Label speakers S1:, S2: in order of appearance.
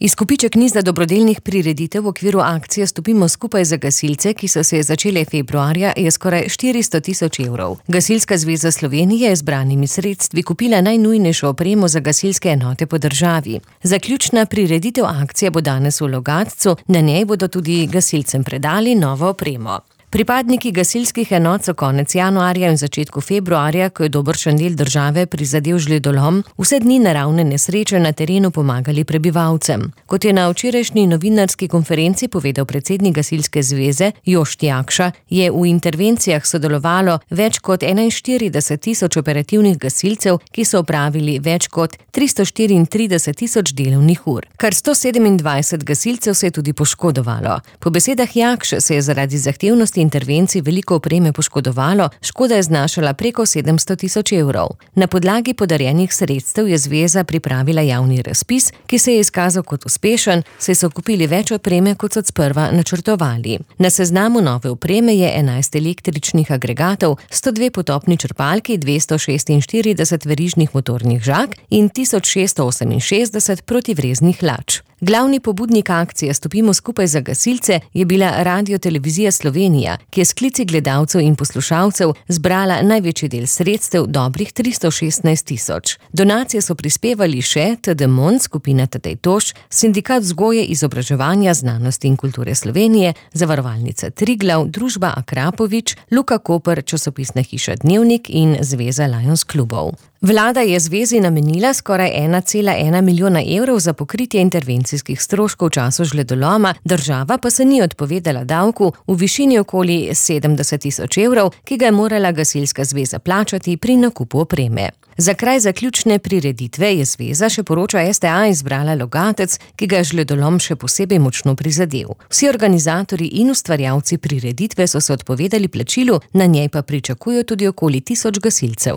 S1: Izkupiček niza dobrodelnih prireditev v okviru akcije Stopimo skupaj za gasilce, ki so se začele februarja, je skoraj 400 000 evrov. Gasilska zveza Slovenije je z zbranimi sredstvi kupila najnujnejšo opremo za gasilske enote po državi. Zaključna prireditev akcije bo danes v Logatcu, na njej bodo tudi gasilcem predali novo opremo. Pripadniki gasilskih enot so konec januarja in začetku februarja, ko je dobršen del države prizadel žledolom, vse dni naravne nesreče na terenu pomagali prebivalcem. Kot je na včerajšnji novinarski konferenci povedal predsednik Gasilske zveze Jošt Jakša, je v intervencijah sodelovalo več kot 41 000 operativnih gasilcev, ki so opravili več kot 334 000 delovnih ur. Kar 127 gasilcev se je tudi poškodovalo. Po besedah Jakše se je zaradi zahtevnosti intervencij veliko opreme poškodovalo, škoda je znašala preko 700 000 evrov. Na podlagi podarjenih sredstev je zveza pripravila javni razpis, ki se je izkazal kot uspešen, saj so kupili več opreme, kot so sprva načrtovali. Na seznamu nove opreme je 11 električnih agregatov, 102 potopni črpalki, 246 verižnih motornih žag in 1668 protivreznih lač. Glavni pobudnik akcije Stopimo skupaj za gasilce je bila Radio-televizija Slovenija, ki je s klici gledalcev in poslušalcev zbrala največji del sredstev, dobrih 316 000. Donacije so prispevali še TD Mond, skupina Tadej Toš, Sindikat vzgoje, izobraževanja, znanosti in kulture Slovenije, Zavarovalnica Triglav, družba Akrapovič, Luka Koper, časopisna hiša Dnevnik in Zveza Lions klubov. Vlada je zvezi namenila skoraj 1,1 milijona evrov za pokritje intervencijskih stroškov v času žledoloma, država pa se ni odpovedala davku v višini okoli 70 000 evrov, ki ga je morala gasilska zveza plačati pri nakupu opreme. Za kraj zaključne prireditve je zveza, še poroča STA, izbrala Logatec, ki ga je žledolom še posebej močno prizadel. Vsi organizatorji in ustvarjalci prireditve so se odpovedali plačilu, na njej pa pričakujejo tudi okoli 1000 gasilcev.